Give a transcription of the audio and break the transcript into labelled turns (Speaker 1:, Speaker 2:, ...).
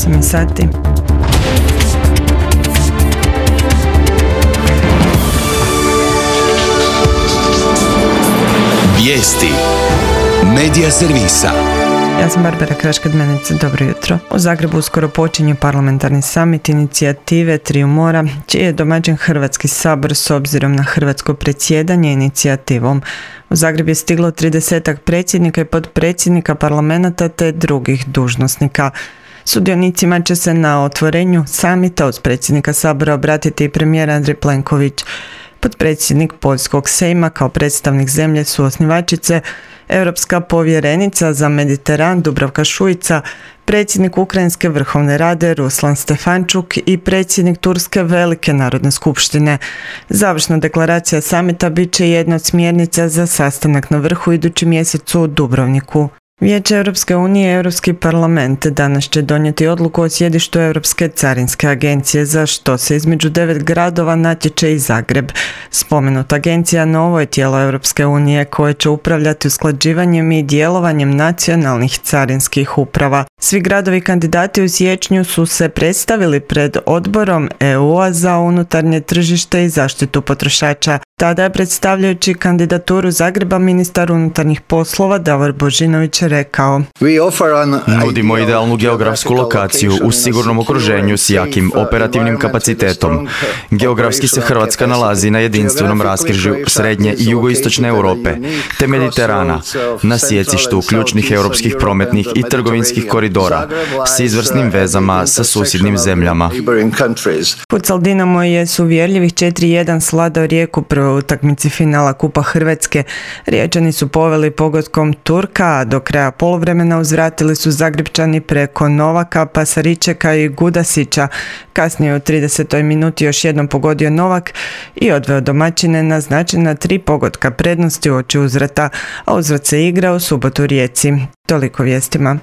Speaker 1: 8 sati.
Speaker 2: Vijesti Medija servisa.
Speaker 1: Ja sam Barbara Kraškadmenica, dobro jutro. U Zagrebu uskoro počinje parlamentarni samit inicijative Triju mora, čiji je domaćin Hrvatski sabor s obzirom na hrvatsko predsjedanje inicijativom. U Zagreb je stiglo 30 predsjednika i potpredsjednika parlamenta te drugih dužnosnika. Sudionicima će se na otvorenju samita uz predsjednika sabora obratiti i premijer Andrej Plenković. Potpredsjednik Poljskog sejma kao predstavnik zemlje suosnivačice, europska povjerenica za Mediteran Dubravka Šuica, predsjednik Ukrajinske vrhovne rade Ruslan Stefančuk i predsjednik Turske Velike narodne skupštine. Završna deklaracija samita bit će jedna od smjernica za sastanak na vrhu idući mjesec u Dubrovniku. Vijeće Europske unije i Europski parlament danas će donijeti odluku o sjedištu Europske carinske agencije, za što se između 9 gradova natječe i Zagreb. Spomenuta agencija novo je tijelo Europske unije koje će upravljati usklađivanjem i djelovanjem nacionalnih carinskih uprava. Svi gradovi kandidati u siječnju su se predstavili pred odborom EU-a za unutarnje tržište i zaštitu potrošača. Tada je predstavljajući kandidaturu Zagreba ministar unutarnjih poslova Davor Božinović rekao:
Speaker 3: Nudimo idealnu geografsku lokaciju u sigurnom okruženju s jakim operativnim kapacitetom. Geografski se Hrvatska nalazi na jedinstvenom raskrižju srednje i jugoistočne Europe te Mediterana, na sjecištu ključnih europskih prometnih i trgovinskih koridora s izvrsnim vezama sa susjednim zemljama.
Speaker 1: Futsal Dinamo je s uvjerljivih 4-1 svladao Rijeku prvoj utakmici finala Kupa Hrvatske. Riječani su poveli pogodkom Turka, a do kraja poluvremena uzvratili su Zagrepčani preko Novaka, Pasaričeka i Gudasića. Kasnije u 30. minuti još jednom pogodio Novak i odveo domaćine na značajna 3 pogotka prednosti uoči uzvrata, a uzvrat se igra u subotu u Rijeci. Toliko vijestima.